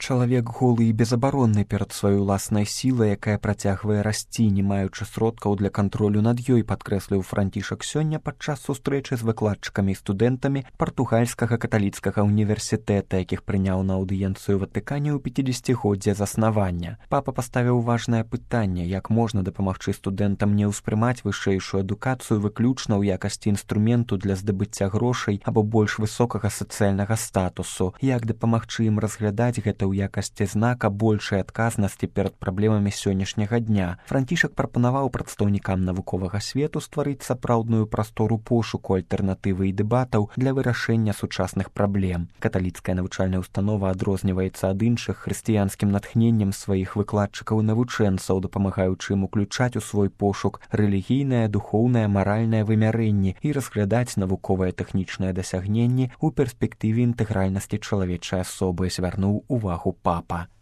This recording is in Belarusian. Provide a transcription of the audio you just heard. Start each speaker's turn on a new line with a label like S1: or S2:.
S1: Чалавек голы і безабаронны перад сваёй уласнай сілай, якая працягвае расці, не маючы сродкаў для кантролю над ёй, падкрэсліў Францішак сёння падчас сустрэчы з выкладчыкамі і студэнтамі партугальскага каталіцкага універсітэта, якіх прыняў на аўдыенцыю Ватыкане ў 50-годдзе заснавання. Папа паставіў важнае пытанне, як можна дапамагчы студэнтам не ўспрымаць вышэйшую адукацыю выключна ў якасці інструменту для здабыцця грошай або больш высокага сацыяльнага статусу, як дапамагчы ім разглядаць гэта ў якасці знака большай адказнасці перад праблемамі сённяшняга дня. Францішак прапанаваў прадстаўнікам навуковага свету стварыць сапраўдную прастору пошуку альтэрнатывы і дэбатаў для вырашэння сучасных праблем. Каталіцкая навучальная установа адрозніваецца ад іншых хрысціянскім натхненнем сваіх выкладчыкаў і навучэнцаў, дапамагаючы ім уключаць у свой пошук рэлігійнае, духоўнае, маральнае вымярэнні і разглядаць навуковыя тэхнічныя дасягненні ў перспектыве інтэгральнасці чалавечай асобы, звярнуў увагу папа.